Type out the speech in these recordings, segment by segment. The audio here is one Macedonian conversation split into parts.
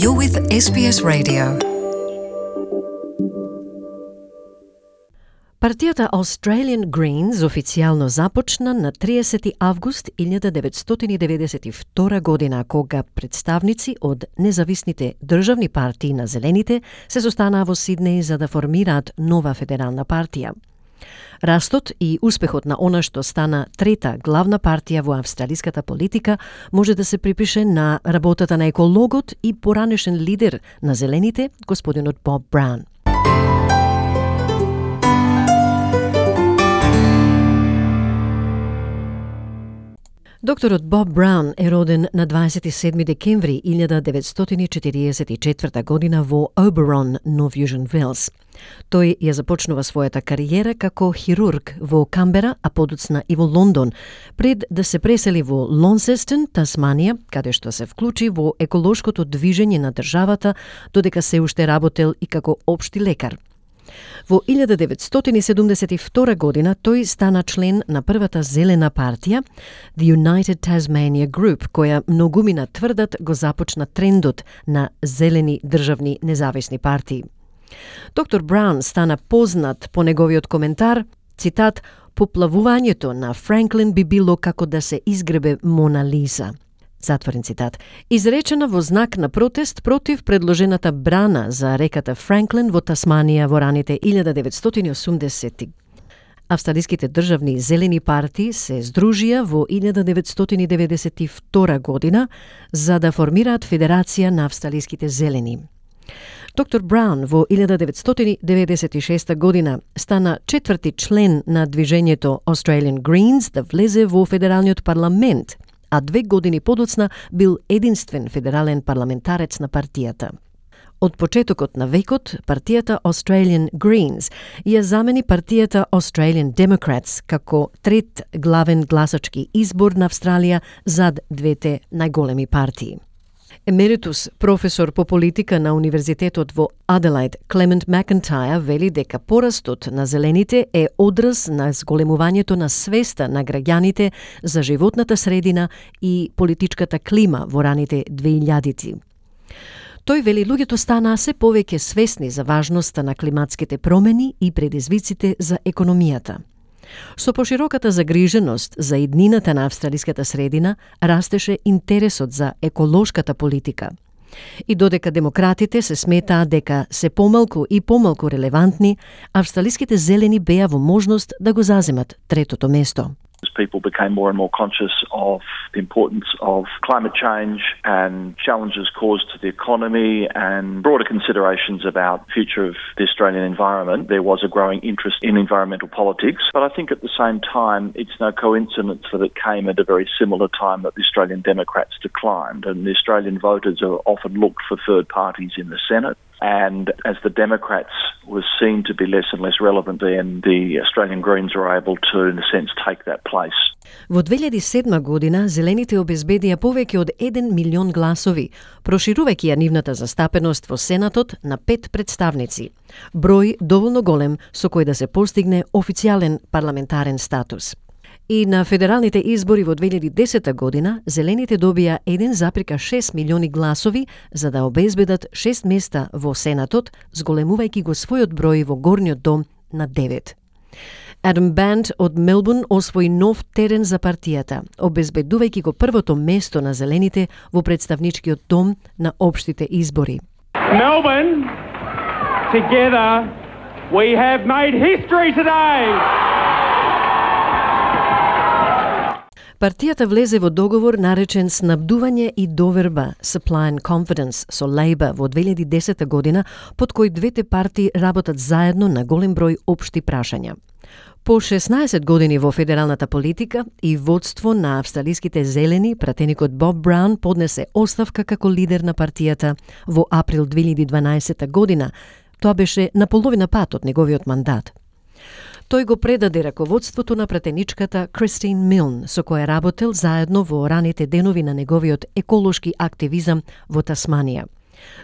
You're with SBS Radio. Партијата Australian Greens официјално започна на 30 август 1992 година, кога представници од независните државни партии на Зелените се состанаа во Сиднеј за да формираат нова федерална партија. Растот и успехот на она што стана трета главна партија во австралиската политика може да се припише на работата на екологот и поранешен лидер на Зелените, господинот Боб Браун. Докторот Боб Браун е роден на 27 декември 1944 година во Оберон, Нов Јужен Велс. Тој ја започнува својата кариера како хирург во Камбера, а подоцна и во Лондон, пред да се пресели во Лонсестон, Тасманија, каде што се вклучи во еколошкото движење на државата, додека се уште работел и како општи лекар. Во 1972 година тој стана член на првата зелена партија, The United Tasmania Group, која многумина тврдат го започна трендот на зелени државни независни партии. Доктор Браун стана познат по неговиот коментар, цитат, "Поплавувањето на Франклин би било како да се изгребе Мона Лиза." Затворен цитат. Изречена во знак на протест против предложената брана за реката Франклин во Тасманија во раните 1980-ти. Австралиските државни зелени партии се здружија во 1992 година за да формираат Федерација на австралиските зелени. Доктор Браун во 1996 година стана четврти член на движењето Australian Greens да влезе во федералниот парламент, а 2 години подоцна бил единствен федерален парламентарец на партијата. Од почетокот на векот, партијата Australian Greens ја замени партијата Australian Democrats како трет главен гласачки избор на Австралија зад двете најголеми партии. Емеритус професор по политика на Универзитетот во Аделајд, Клемент Макентајр, вели дека порастот на зелените е одраз на зголемувањето на свеста на граѓаните за животната средина и политичката клима во раните 2000-ти. Тој вели луѓето станаа се повеќе свесни за важноста на климатските промени и предизвиците за економијата. Со пошироката загриженост за иднината на австралиската средина, растеше интересот за еколошката политика. И додека демократите се сметаа дека се помалку и помалку релевантни, австралиските зелени беа во можност да го заземат третото место. As people became more and more conscious of the importance of climate change and challenges caused to the economy and broader considerations about the future of the Australian environment, there was a growing interest in environmental politics. But I think at the same time, it's no coincidence that it came at a very similar time that the Australian Democrats declined, and the Australian voters are often looked for third parties in the Senate. And as the Democrats were seen to be less and less relevant, then the Australian Greens were able to, in a sense, take that place. Во 2007 година зелените обезбедија повеќе од 1 милион гласови, проширувајќи ја нивната застапеност во Сенатот на 5 представници. Број доволно голем со кој да се постигне официјален парламентарен статус. И на федералните избори во 2010 година, зелените добија 1,6 милиони гласови за да обезбедат 6 места во Сенатот, зголемувајќи го својот број во горниот дом на 9. Адам Банд од Мелбурн освои нов терен за партијата, обезбедувајќи го првото место на зелените во представничкиот дом на општите избори. Melbourne, together, we have made history today. Партијата влезе во договор наречен Снабдување и доверба, Supply and Confidence, со Лейба во 2010 година, под кој двете партии работат заедно на голем број општи прашања. По 16 години во федералната политика и водство на австралиските зелени, пратеникот Боб Браун поднесе оставка како лидер на партијата во април 2012 година. Тоа беше на половина пат од неговиот мандат. Тој го предаде раководството на пратеничката Кристин Милн, со која работел заедно во раните денови на неговиот еколошки активизам во Тасманија.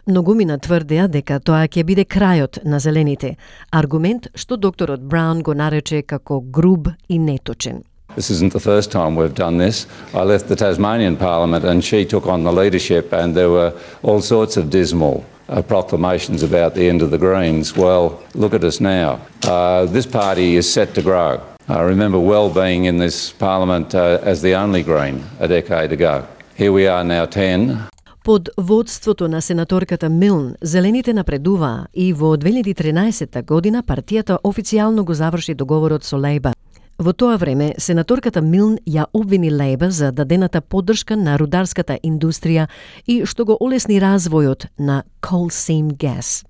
Многумина тврдеа дека тоа ќе биде крајот на зелените, аргумент што докторот Браун го нарече како груб и неточен. This isn't the first time we've done this. I left the Tasmanian Parliament and she took on the leadership, and there were all sorts of dismal proclamations about the end of the Greens. Well, look at us now. This party is set to grow. I remember well being in this Parliament as the only Green a decade ago. Here we are now 10. Под водството на сенаторката Милн, Зелените напредуваа и во 2013 година партијата официјално го заврши договорот со Лејба. Во тоа време, сенаторката Милн ја обвини Лејба за дадената поддршка на рударската индустрија и што го олесни развојот на coal seam gas.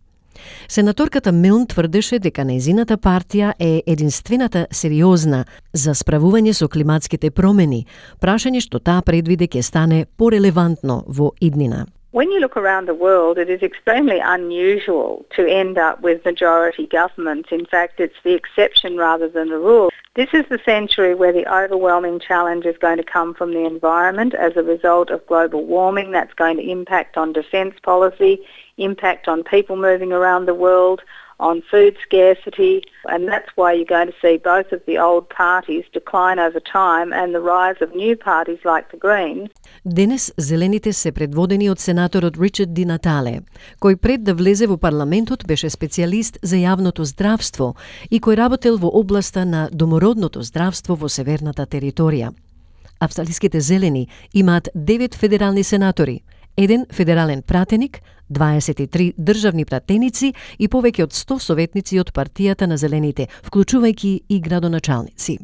Сенаторката Милн тврдеше дека нејзината партија е единствената сериозна за справување со климатските промени, прашање што таа предвиде ќе стане порелевантно во иднина. When you look around the world, it is extremely unusual to end up with majority governments. In fact, it's the exception rather than the rule. This is the century where the overwhelming challenge is going to come from the environment as a result of global warming. That's going to impact on defence policy, impact on people moving around the world, on food scarcity, and that's why you're going to see both of the old parties decline over time and the rise of new parties like the Greens. Денес Зелените се предводени од сенаторот Ричард Ди Натале, кој пред да влезе во парламентот беше специјалист за јавното здравство и кој работел во областа на домородното здравство во северната територија. Австралиските Зелени имаат 9 федерални сенатори, 1 федерален пратеник, 23 државни пратеници и повеќе од 100 советници од партијата на Зелените, вклучувајќи и градоначалници.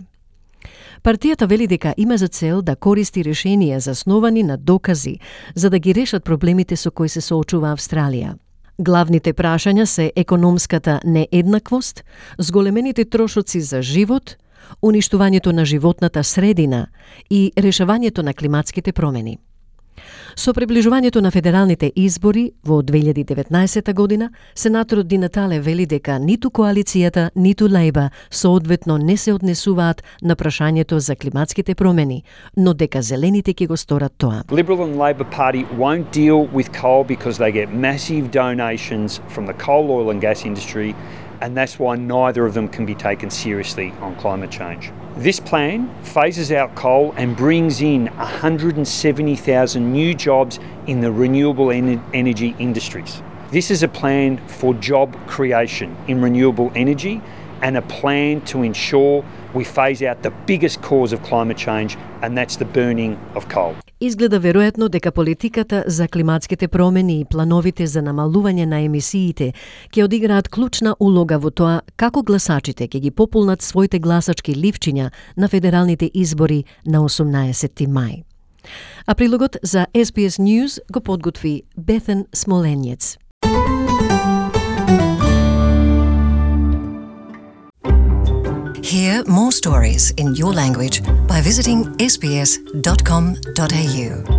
Партијата вели дека има за цел да користи решенија засновани на докази за да ги решат проблемите со кои се соочува Австралија. Главните прашања се економската нееднаквост, зголемените трошоци за живот, уништувањето на животната средина и решавањето на климатските промени. Со приближувањето на федералните избори во 2019 година, сенаторот Ди Натале вели дека ниту коалицијата, ниту Лејба соодветно не се однесуваат на прашањето за климатските промени, но дека Зелените ќе го сторат тоа. Liberal and Labor Party won't deal with coal because they get massive donations from the coal, oil and gas industry, and that's why neither of them can be taken seriously on climate change. This plan phases out coal and brings in 170,000 new jobs in the renewable energy industries. This is a plan for job creation in renewable energy and a plan to ensure we phase out the biggest cause of climate change, and that's the burning of coal. Изгледа веројатно дека политиката за климатските промени и плановите за намалување на емисиите ќе одиграат клучна улога во тоа како гласачите ќе ги пополнат своите гласачки ливчиња на федералните избори на 18 мај. А прилогот за SBS News го подготви Бетен Смоленјец. Hear more stories in your language by visiting sbs.com.au.